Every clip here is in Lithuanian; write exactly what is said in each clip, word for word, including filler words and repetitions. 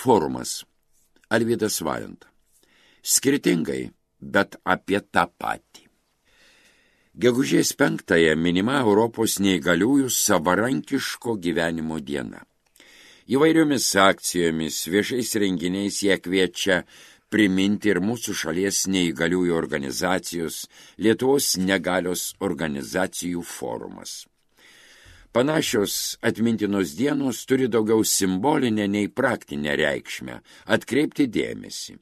Forumas. Alvydas Valenta. Skirtingai, bet apie tą patį. Gegužės penktąją minima Europos neįgaliųjų savarankiško gyvenimo diena. Įvairiomis akcijomis, viešais renginiais jie kviečia priminti ir mūsų šalies neįgaliųjų organizacijos, Lietuvos negalios organizacijų forumas. Panašios atmintinos dienos turi daugiau simbolinę nei praktinę reikšmę – atkreipti dėmesį,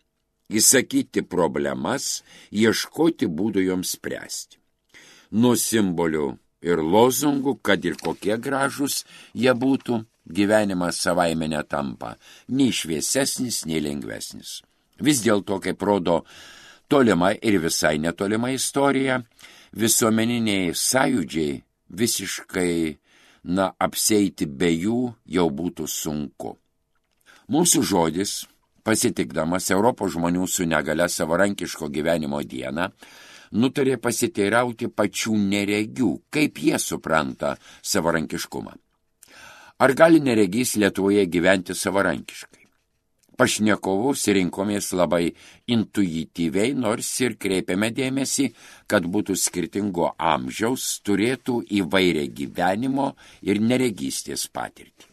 įsakyti problemas, ieškoti būdų joms spręsti. Nuo simbolių ir lozungų, kad ir kokie gražus jie būtų, gyvenimas savaime netampa nei šviesesnis, nei lengvesnis. Vis dėlto, kaip rodo tolima ir visai netolima istorija, visuomeniniai sąjūdžiai visiškai, na, apseiti be jų jau būtų sunku. Mūsų žodis, pasitikdamas Europos žmonių su negale savarankiško gyvenimo dieną, nutarė pasiteirauti pačių neregių, kaip jie supranta savarankiškumą. Ar gali neregys Lietuvoje gyventi savarankiškai? Pašnekovus rinkomės labai intuityviai, nors ir kreipiame dėmesį, kad būtų skirtingo amžiaus, turėtų įvairią gyvenimo ir neregystės patirtį.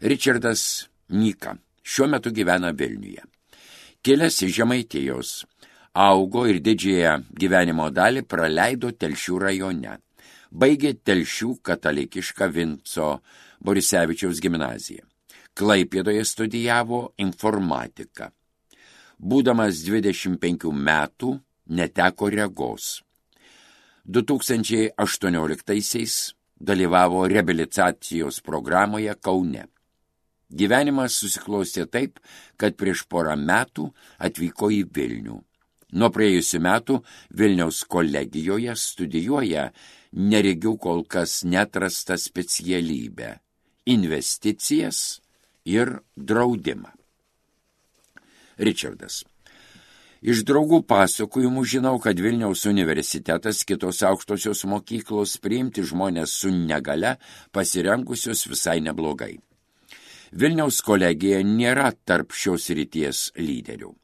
Ričardas Nyka šiuo metu gyvena Vilniuje. Kilęs iš Žemaitijos, augo ir didžiąją gyvenimo dalį praleido Telšių rajone. Baigė Telšių katalikišką Vinco Borisevičiaus gimnaziją. Klaipėdoje studijavo informatiką. Būdamas dvidešimt penkių metų neteko regos. du tūkstančiai aštuonioliktaisiais dalyvavo reabilitacijos programoje Kaune. Gyvenimas susiklostė taip, kad prieš porą metų atvyko į Vilnių. Nuo praėjusių metų Vilniaus kolegijoje studijuoja neregių kol kas neatrastą specialybę – investicijas ir draudimą. Ričardas. Iš draugų pasakojimų žinau, kad Vilniaus universitetas, kitos aukštosios mokyklos priimti žmonės su negale pasirengusios visai neblogai. Vilniaus kolegija nėra tarp šios ryties lyderių.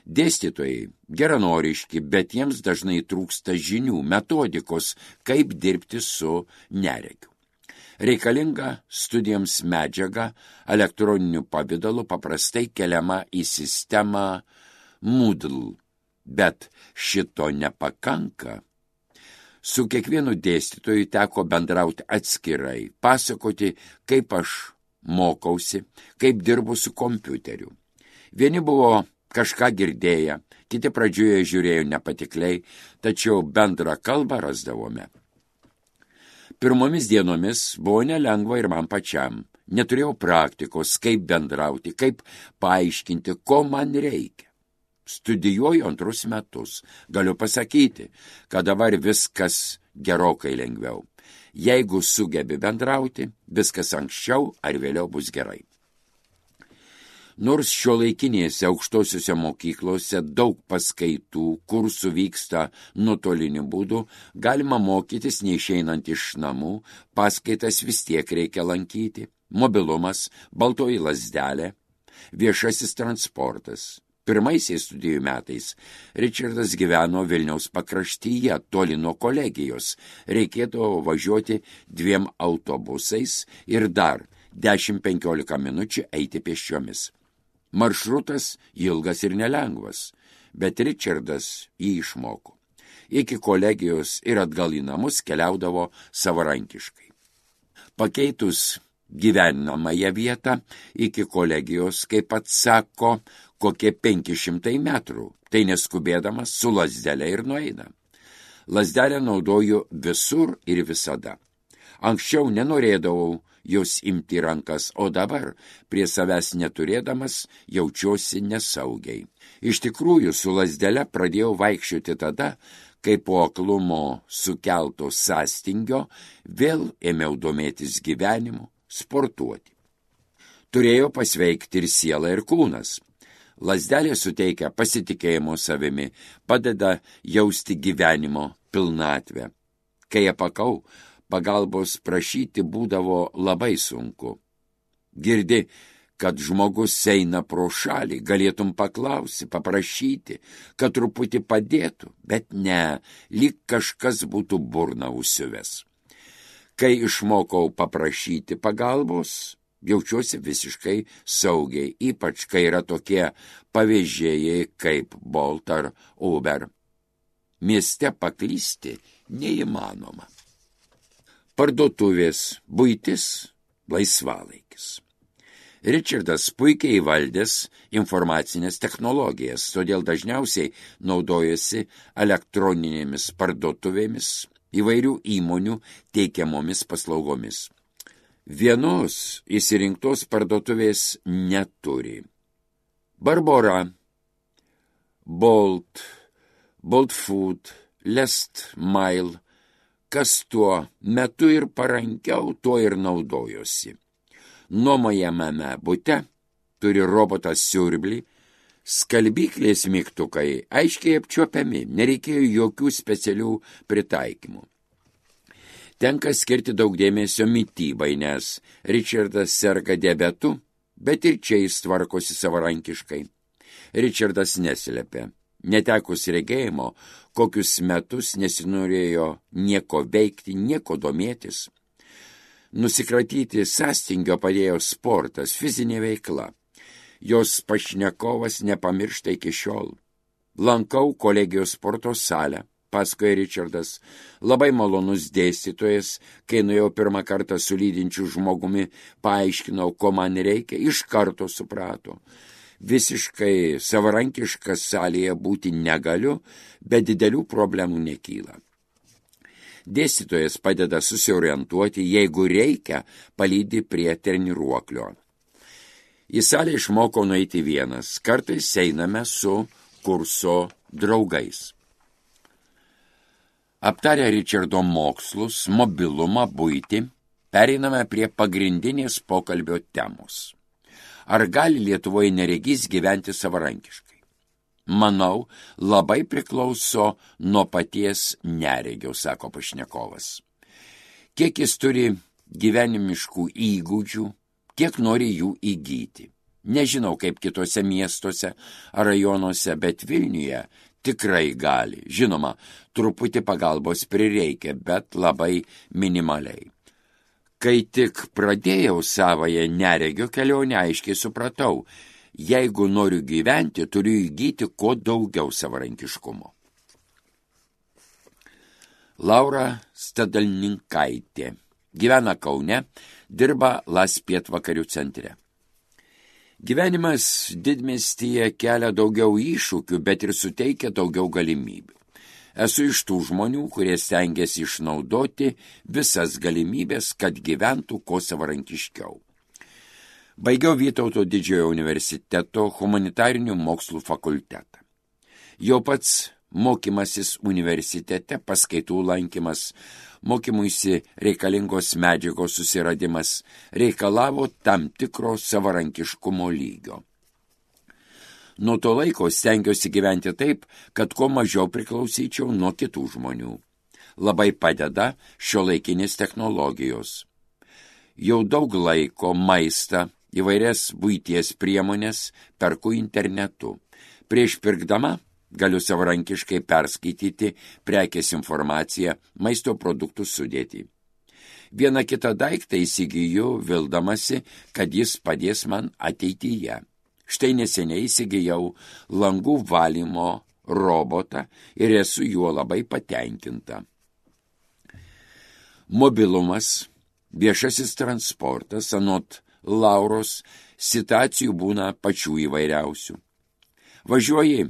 Dėstytojai geranoriški, bet jiems dažnai trūksta žinių, metodikos, kaip dirbti su neregiu. Reikalinga studijoms medžiaga elektroniniu pavidalu paprastai keliama į sistemą Moodle, bet šito nepakanka. Su kiekvienu dėstytoju teko bendrauti atskirai, pasakoti, kaip aš mokausi, kaip dirbu su kompiuteriu. Vieni buvo kažką girdėję, kiti pradžioje žiūrėjo nepatikliai, tačiau bendrą kalbą rasdavome. Pirmomis dienomis buvo nelengva ir man pačiam. Neturėjau praktikos, kaip bendrauti, kaip paaiškinti, ko man reikia. Studijuoju antrus metus. Galiu pasakyti, kad dabar viskas gerokai lengviau. Jeigu sugebi bendrauti, viskas anksčiau ar vėliau bus gerai. Nors šiuolaikinėse aukštosiuose mokyklose daug paskaitų, kursų vyksta nuotoliniu būdu, galima mokytis neišeinant iš namų, paskaitas vis tiek reikia lankyti, mobilumas, baltoji lazdelė, viešasis transportas. Pirmaisiais studijų metais Ričardas gyveno Vilniaus pakraštyje, toli nuo kolegijos, reikėdavo važiuoti dviem autobusais ir dar dešimt penkiolika minučių eiti pėsčiomis. Maršrutas ilgas ir nelengvas, bet Ričardas jį išmoko. Iki kolegijos ir atgal į namus keliaudavo savarankiškai. Pakeitus gyvenamąją vietą iki kolegijos, kaip pats sako, kokie penki šimtai metrų, tai neskubėdamas su lazdele ir nueina. Lazdelę naudoju visur ir visada. Anksčiau nenorėdavau jos imti rankas, o dabar, prie savęs neturėdamas, jaučiuosi nesaugiai. Iš tikrųjų, su lazdele pradėjau vaikščioti tada, kai po aklumo sukelto sąstingio vėl ėmiau domėtis gyvenimu, sportuoti. Turėjo pasveikti ir siela ir kūnas. Lazdelė suteikia pasitikėjimo savimi, padeda jausti gyvenimo pilnatvę. Kai apakau, pagalbos prašyti būdavo labai sunku. Girdi, kad žmogus eina pro šalį, galėtum paklausti, paprašyti, kad truputį padėtų, bet ne, lyg kažkas būtų burną užsiuvęs. Kai išmokau paprašyti pagalbos, jaučiuosi visiškai saugiai, ypač kai yra tokie pavežėjai kaip Bolt ar Uber. Mieste paklysti neįmanoma. Parduotuvės, buitis, laisvalaikis. Richardas puikiai įvaldęs informacinės technologijas, todėl dažniausiai naudojasi elektroninėmis parduotuvėmis, įvairių įmonių teikiamomis paslaugomis. Vienos įsirinktos parduotuvės neturi. Barbora, Bolt, Bolt Food, Last Mile, kas tuo metu ir parankiau, tuo ir naudojosi. Nuomojamame bute turi robotas siurblį, skalbyklės mygtukai aiškiai apčiuopiami, nereikėjo jokių specialių pritaikymų. Tenka skirti daug dėmesio mitybai, nes Richardas serga diabetu, bet ir čia jis tvarkosi savarankiškai. Richardas neslėpė. Netekus regėjimo, kokius metus nesinorėjo nieko veikti, nieko domėtis. Nusikratyti sąstingio padėjo sportas, fizinė veikla. Jos pašnekovas nepamiršta iki šiol. Lankau kolegijos sporto salę, pasakoja Richardas, labai malonus dėstytojas, kai nuėjau pirmą kartą su lydinčiu žmogumi, paaiškinau, ko man reikia, iš karto suprato. Visiškai savarankiškas salėje būti negaliu, bet didelių problemų nekyla. Dėstytojas padeda susiorientuoti, jeigu reikia, palydi prie treniruoklio. Į salę išmokau nueiti vienas, kartais einame su kurso draugais. Aptarę Richardo mokslus, mobilumą, buitį, pereiname prie pagrindinės pokalbio temos. Ar gali Lietuvoje neregys gyventi savarankiškai? Manau, labai priklauso nuo paties neregio, sako pašnekovas. Kiek jis turi gyvenimiškų įgūdžių, kiek nori jų įgyti. Nežinau, kaip kitose miestuose ar rajonuose, bet Vilniuje tikrai gali. Žinoma, truputį pagalbos prireikia, bet labai minimaliai. Kai tik pradėjau savąją neregio kelionę, aiškiai supratau, jeigu noriu gyventi, turiu įgyti kuo daugiau savarankiškumo. Laura Stadalninkaitė gyvena Kaune, dirba Las pietvakarių centre. Gyvenimas didmiestyje kelia daugiau iššūkių, bet ir suteikia daugiau galimybių. Esu iš tų žmonių, kurie stengiasi išnaudoti visas galimybės, kad gyventų kuo savarankiškiau. Baigiau Vytauto didžiojo universiteto humanitarinių mokslų fakultetą. Jau pats mokymasis universitete, paskaitų lankymas, mokymuisi reikalingos medžiagos susiradimas reikalavo tam tikro savarankiškumo lygio. Nuo to laiko stengiuosi gyventi taip, kad kuo mažiau priklausyčiau nuo kitų žmonių. Labai padeda šiuolaikinės technologijos. Jau daug laiko maistą, įvairias buities priemonės perku internetu. Prieš pirkdama galiu savarankiškai perskaityti prekės informaciją, maisto produktų sudėtį. Vieną kitą daiktą įsigiju, vildamasi, kad jis padės man ateityje. Štai neseniai įsigijau langų valymo robotą ir esu juo labai patenkinta. Mobilumas, viešasis transportas, anot Lauros, situacijų būna pačių įvairiausių. Važiuoji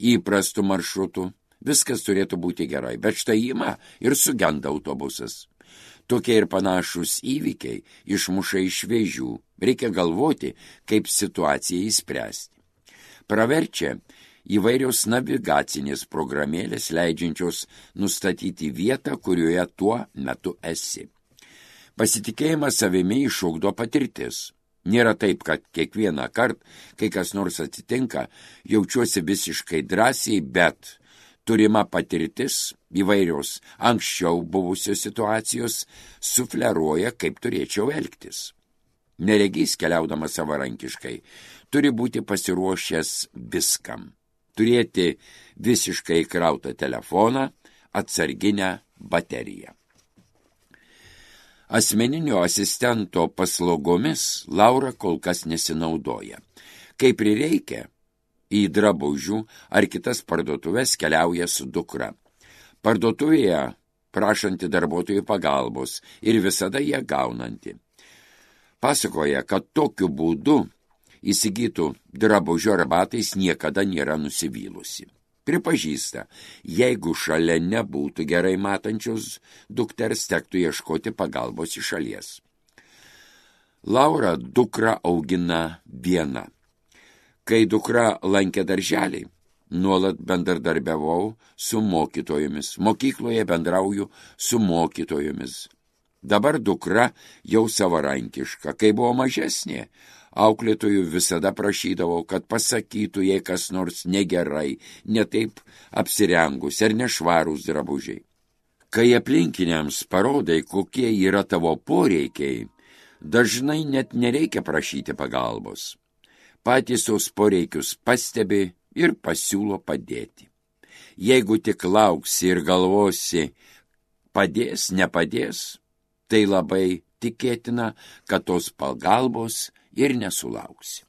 įprastų maršrutų, viskas turėtų būti gerai, bet štai ima ir sugenda autobusas. Tokie ir panašus įvykiai išmuša iš vėžių, reikia galvoti, kaip situaciją įspręsti. Praverčia įvairios navigacinės programėlės, leidžiančios nustatyti vietą, kurioje tuo metu esi. Pasitikėjimas savimi išugdo patirtis. Nėra taip, kad kiekvieną kartą, kai kas nors atsitinka, jaučiuosi visiškai drąsiai, bet turima patirtis, įvairios anksčiau buvusios situacijos, sufleruoja, kaip turėčiau elgtis. Neregys, keliaudamas savarankiškai, turi būti pasiruošęs viskam. Turėti visiškai įkrautą telefoną, atsarginę bateriją. Asmeninio asistento paslaugomis Laura kol kas nesinaudoja. Kai prireikia, į drabužių ar kitas parduotuvės keliauja su dukra. Parduotuvėje prašanti darbuotojų pagalbos ir visada ją gaunanti. Pasakoja, kad tokiu būdu įsigytų drabužių ar batais niekada nėra nusivylusi. Pripažįsta, jeigu šalia nebūtų gerai matančios dukters, tektų ieškoti pagalbos iš šalies. Laura dukrą augina viena. Kai dukra lankė darželį, nuolat bendradarbiavau su mokytojomis. Mokykloje bendrauju su mokytojomis. Dabar dukra jau savarankiška. Kai buvo mažesnė, auklėtojų visada prašydavau, kad pasakytų, jei kas nors negerai, netaip apsirengus ar nešvarūs drabužiai. Kai aplinkiniams parodai, kokie yra tavo poreikiai, dažnai net nereikia prašyti pagalbos. Patys tos poreikius pastebi ir pasiūlo padėti. Jeigu tik lauksi ir galvosi, padės, nepadės, tai labai tikėtina, kad tos pagalbos ir nesulauksi.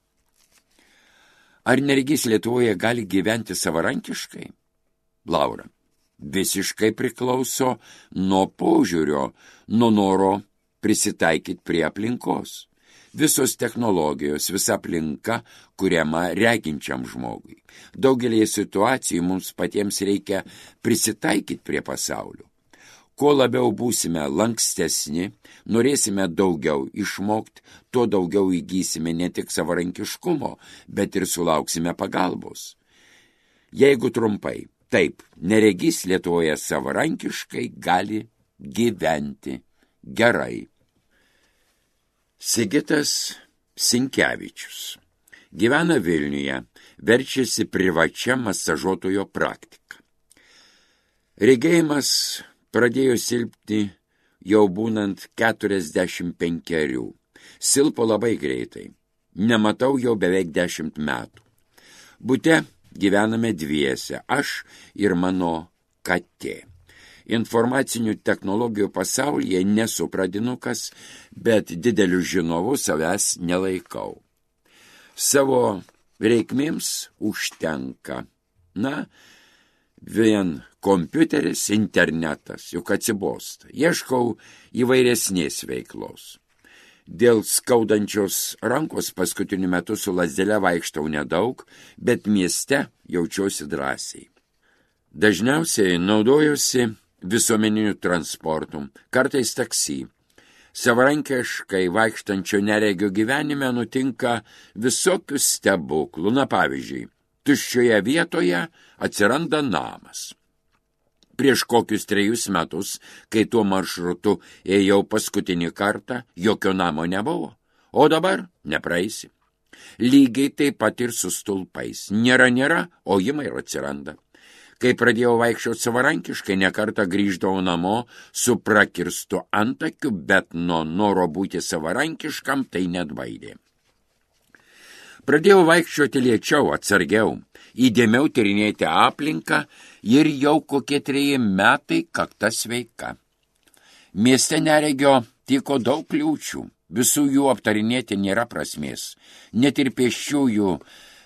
Ar neregys Lietuvoje gali gyventi savarankiškai? Laura, visiškai priklauso nuo požiūrio, nuo noro prisitaikyti prie aplinkos. Visos technologijos, visa aplinka kuriama reginčiam žmogui. Daugelį situacijų mums patiems reikia prisitaikyti prie pasaulio. Kuo labiau būsime lankstesni, norėsime daugiau išmokti, tuo daugiau įgysime ne tik savarankiškumo, bet ir sulauksime pagalbos. Jeigu trumpai, taip, neregys Lietuvoje savarankiškai gali gyventi gerai. Sigitas Sinkevičius gyvena Vilniuje, verčiasi privačia masažuotojo praktika. Regėjimas pradėjo silpti jau būnant keturiasdešimt penkerių. Silpo labai greitai. Nematau jau beveik dešimt metų. Bute gyvename dviese, aš ir mano katė. Informacinių technologijų pasaulyje nesu pradinukas, bet dideliu žinovu savęs nelaikau. Savo reikmėms užtenka. Na, vien kompiuteris, internetas, juk atsibosta. Ieškau įvairesnės veiklos. Dėl skaudančios rankos paskutiniu metu su lazdele vaikštau nedaug, bet mieste jaučiuosi drąsiai. Dažniausiai naudojuosi visuomeniniu transportu, kartais taksi. Savarankiškai vaikštančio neregio gyvenime nutinka visokių stebuklų. Na pavyzdžiui, tuščioje vietoje atsiranda namas. Prieš kokius trejus metus, kai tuo maršrutu ėjau paskutinį kartą, jokio namo nebuvo, o dabar nepraeisi. Lygiai taip pat ir su stulpais. Nėra, nėra, o ima ir atsiranda. Kai pradėjau vaikščioti savarankiškai, nekartą grįždavau namo su prakirstu antakiu, bet nuo noro būti savarankiškam tai neatbaidė. Pradėjau vaikščioti lėčiau, atsargiau, įdėmiau tyrinėti aplinką ir jau kokie treji metai kakta sveika. Mieste neregio tyko daug kliūčių, visų jų aptarinėti nėra prasmės, net ir pėsčiųjų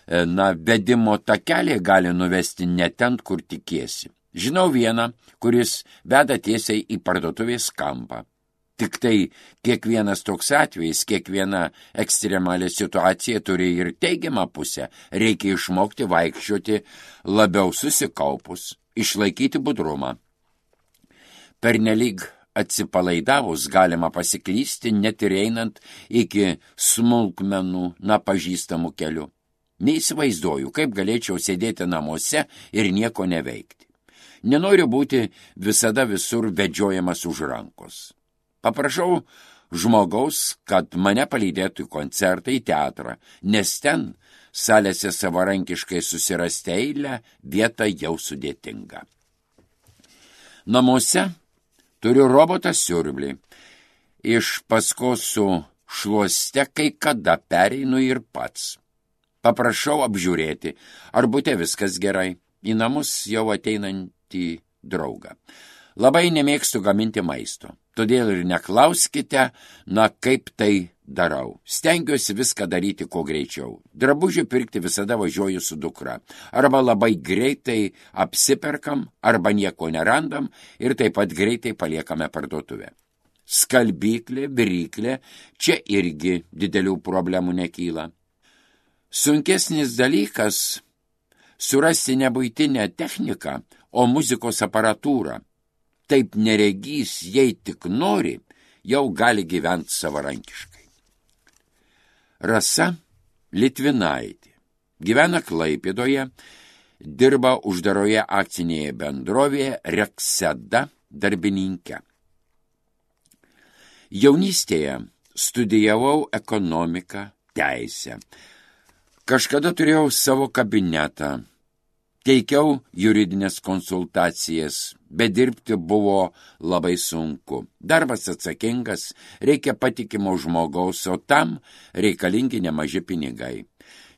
Na, vedimo takeliai gali nuvesti ne ten, kur tikiesi. Žinau vieną, kuris veda tiesiai į parduotuvės kampą. Tik tai kiekvienas toks atvejis, kiekviena ekstremalė situacija turi ir teigiamą pusę. Reikia išmokti vaikščioti labiau susikaupus, išlaikyti budrumą. Pernelyg atsipalaidavus galima pasiklysti, net ir einant iki smulkmenų, na, pažįstamų kelių. Neįsivaizduoju, kaip galėčiau sėdėti namuose ir nieko neveikti. Nenoriu būti visada visur vedžiojamas už rankos. Paprašau žmogaus, kad mane palydėtų į koncertą, į teatrą, nes ten salėse savarankiškai susirasti eilę, vieta jau sudėtinga. Namuose turiu robotą siurblį. Iš paskos su šluoste kai kada pereinu ir pats. Paprašau apžiūrėti, ar bute viskas gerai, į namus jau ateinantį draugą. Labai nemėgstu gaminti maisto, todėl ir neklauskite, na kaip tai darau. Stengiuosi viską daryti kuo greičiau. Drabužių pirkti visada važiuoju su dukra. Arba labai greitai apsiperkam, arba nieko nerandam ir taip pat greitai paliekame parduotuvę. Skalbyklė, viryklė, čia irgi didelių problemų nekyla. Sunkesnis dalykas surasti ne buitinę techniką, o muzikos aparatūrą. Taip neregys, jei tik nori, jau gali gyventi savarankiškai. Rasa Litvinaitė gyvena Klaipėdoje, dirba uždaroje akcinėje bendrovėje Rekseda darbininke. Jaunystėje studijavau ekonomiką, teisę. Kažkada turėjau savo kabinetą, teikiau juridinės konsultacijas, bet dirbti buvo labai sunku. Darbas atsakingas, reikia patikimo žmogaus, o tam reikalingi nemaži pinigai.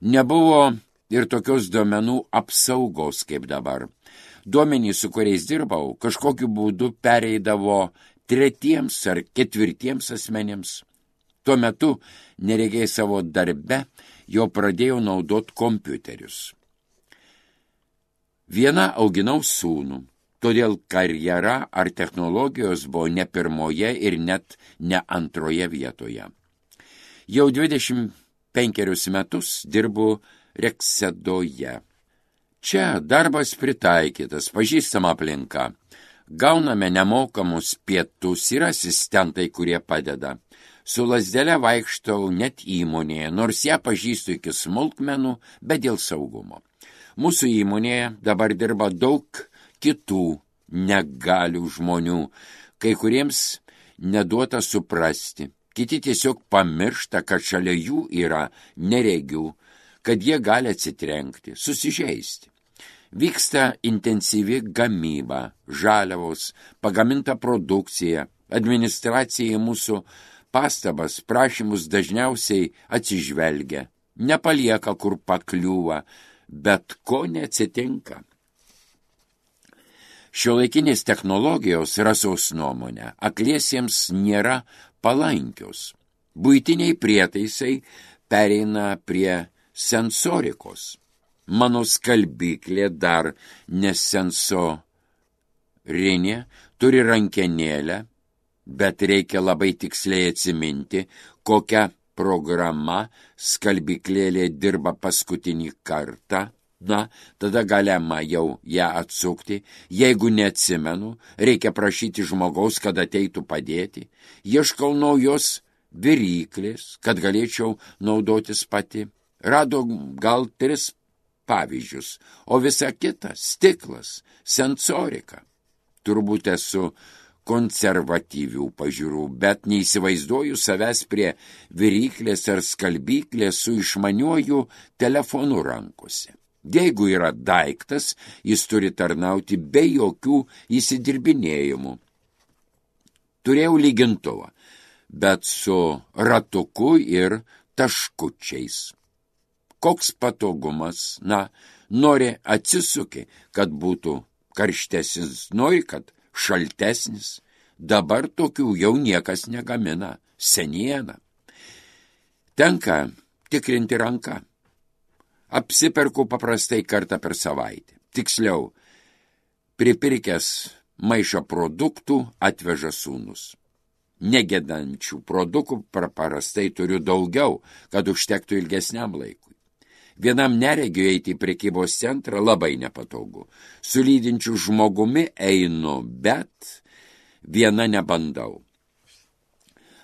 Nebuvo ir tokios duomenų apsaugos kaip dabar. Duomenys, su kuriais dirbau, kažkokiu būdu pereidavo tretiems ar ketvirtiems asmenims. Tuo metu neregiai savo darbe jau pradėjau naudoti kompiuterius. Viena auginau sūnų, todėl karjera ar technologijos buvo ne pirmoje ir net ne antroje vietoje. Jau dvidešimt penkerius metus dirbu Reksedoje. Čia darbas pritaikytas, pažįstama aplinka. Gauname nemokamus pietus ir asistentai, kurie padeda. Su lazdele vaikštau net įmonėje, nors ją pažįstu iki smulkmenų, bet dėl saugumo. Mūsų įmonėje dabar dirba daug kitų negalių žmonių, kai kuriems neduota suprasti, kiti tiesiog pamiršta, kad šalia jų yra neregių, kad jie gali atsitrenkti, susižeisti. Vyksta intensyvi gamyba, žaliavos, pagaminta produkcija, administracija į mūsų pastabas, prašymus dažniausiai atsižvelgia, nepalieka kur pakliūva, bet ko neatsitinka. Šiuolaikinės technologijos, Rasos nuomonė, akliesiems nėra palankios. Buitiniai prietaisai pereina prie sensorikos. Mano skalbyklė dar nesensorinė, turi rankenėlę, bet reikia labai tiksliai atsiminti, kokia programa skalbyklėlė dirba paskutinį kartą. Na, tada galima jau ją atsukti. Jeigu neatsimenu, reikia prašyti žmogaus, kad ateitų padėti. Ieškau naujos viryklės, kad galėčiau naudotis pati. Rado gal tris pavyzdžius, o visa kita stiklas, sensorika. Turbūt esu konservatyvių pažiūrų, bet neįsivaizduoju savęs prie viryklės ar skalbyklės su išmaniuoju telefonu rankose. Jeigu yra daiktas, jis turi tarnauti be jokių įsidirbinėjimų. Turėjau lygintuvą, bet su ratuku ir taškučiais. Koks patogumas, na, nori atsisuki, kad būtų karštesnis, nori, kad šaltesnis. Dabar tokių jau niekas negamina, seniena. Tenka tikrinti ranką. Apsiperku paprastai kartą per savaitę. Tiksliau, pripirkęs maišą produktų atveža sūnus. Negėdančių produktų paprastai turiu daugiau, kad užtektų ilgesniam laikui. Vienam neregiu eiti į prekybos centrą labai nepatogu. Su lydinčiu žmogumi einu, bet viena nebandau.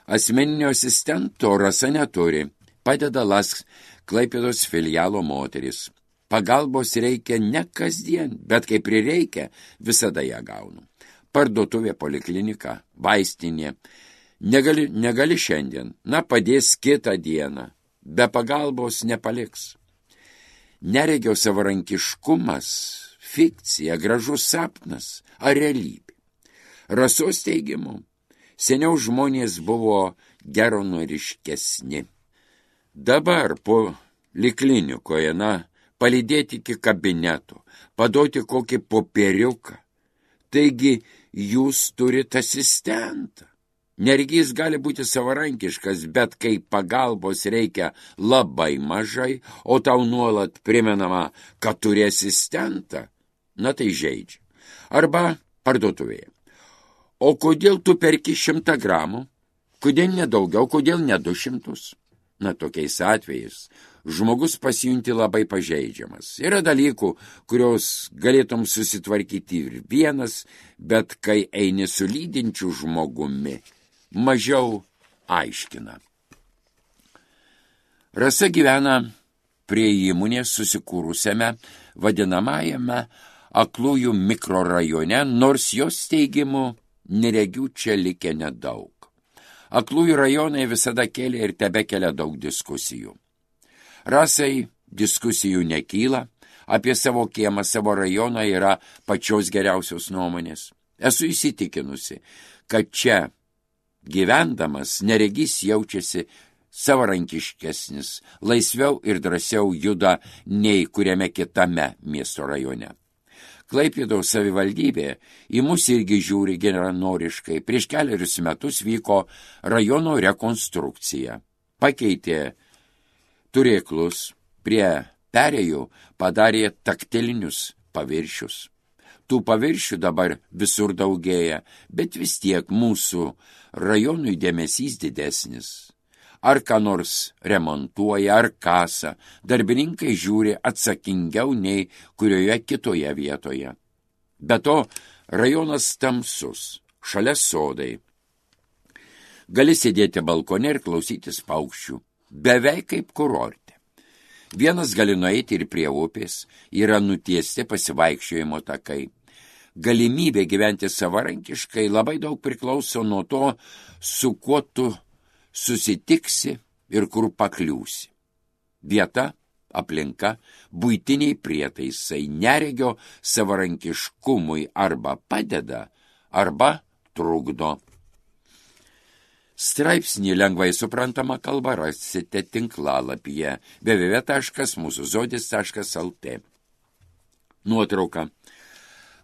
Asmeninio asistento Rasa neturi, padeda Lask Klaipėdos filialo moteris. Pagalbos reikia ne kasdien, bet kai prireikia, visada ją gaunu. Parduotuvė, poliklinika, vaistinė. Negali, negali šiandien, na padės kitą dieną. Be pagalbos nepaliks. Neregio savarankiškumas, fikcija, gražus sapnas ar realybė. Rasos teigimu, seniau žmonės buvo geronoriškesni. Dabar po liklinikoje, na, palydėti iki kabineto, paduoti kokį popieriuką. Taigi jūs turite asistentą. Neregys gali būti savarankiškas, bet kai pagalbos reikia labai mažai, o tau nuolat primenama, kad turi asistentą, na tai žeidžia. Arba parduotuvėje. O kodėl tu perki šimtą gramų? Kodėl nedaugiau, kodėl ne du šimtus? Na, tokiais atvejais žmogus pasijunti labai pažeidžiamas. Yra dalykų, kurios galėtum susitvarkyti ir vienas, bet kai eini su lydinčiu žmogumi, mažiau aiškina. Rasa gyvena prie įmonės susikūrusiame vadinamajame aklųjų mikrorajone, nors jos teigimu neregių čia likę nedaug. Aklųjų rajonai visada kėlė ir tebekelia daug diskusijų. Rasai diskusijų nekyla, apie savo kiemą, savo rajoną yra pačios geriausios nuomonės. Esu įsitikinusi, kad čia gyvendamas neregys jaučiasi savarankiškesnis, laisviau ir drąsiau juda nei kuriame kitame miesto rajone. Klaipėdos savivaldybė į mus irgi žiūri geranoriškai. Prieš keliarius metus vyko rajono rekonstrukcija. Pakeitė turėklus, prie perėjų padarė taktilinius paviršius. Tų paviršių dabar visur daugėja, bet vis tiek mūsų rajonui dėmesys didesnis. Ar ką nors remontuoja, ar kasa, darbininkai žiūri atsakingiau nei kurioje kitoje vietoje. Be to, rajonas tamsus, šalia sodai. Gali sėdėti balkone ir klausytis paukščių, beveik kaip kurorte. Vienas gali nueiti ir prie upės, yra nutiesti pasivaikščiojimo takai. Galimybė gyventi savarankiškai labai daug priklauso nuo to, su kuo tu susitiksi ir kur pakliūsi. Vieta, aplinka, buitiniai prietaisai neregio savarankiškumui arba padeda, arba trukdo. Straipsnį lengvai suprantama kalba rasite tinklalapyje w w w taškas mūsų žodis taškas l t. Nuotrauka.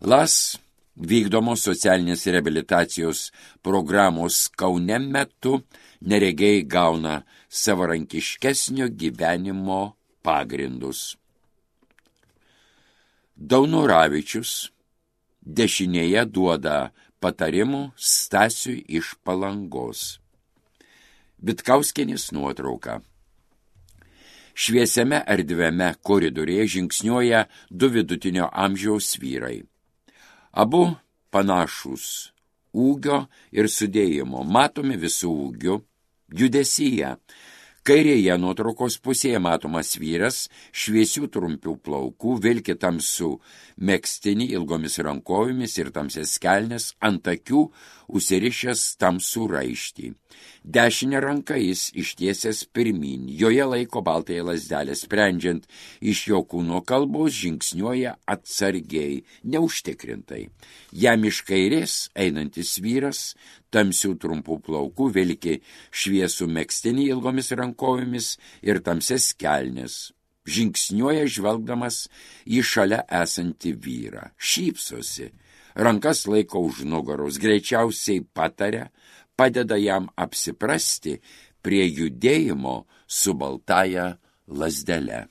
Las vykdomos socialinės reabilitacijos programos Kaune metu neregiai gauna savarankiškesnio gyvenimo pagrindus. Daunoravičius dešinėje duoda patarimų Stasiui iš Palangos. Vitkauskienės nuotrauka. Šviesiame erdviame koridorėje žingsniuoja du vidutinio amžiaus vyrai. Abu panašūs ūgio ir sudėjimo, matomi visų ūgių, judesyje. Kairėje nuotraukos pusėje matomas vyras, šviesių trumpių plaukų, vilki tamsų megztinį ilgomis rankovėmis ir tamsias kelnes, ant akių užsirišęs tamsų raištį. Dešinę ranką jis ištiesęs pirmyn, joje laiko baltąją lazdelę, sprendžiant iš jo kūno kalbos žingsniuoja atsargiai, neužtikrintai. Jam iš kairės einantis vyras, tamsių trumpų plaukų, vilki šviesų megztinį ilgomis rankovėmis ir tamsias kelnes. Žingsniuoja žvelgdamas į šalia esantį vyrą. Šypsosi, rankas laiko už nugaros, greičiausiai pataria, padeda jam apsiprasti prie judėjimo su baltąja lazdele.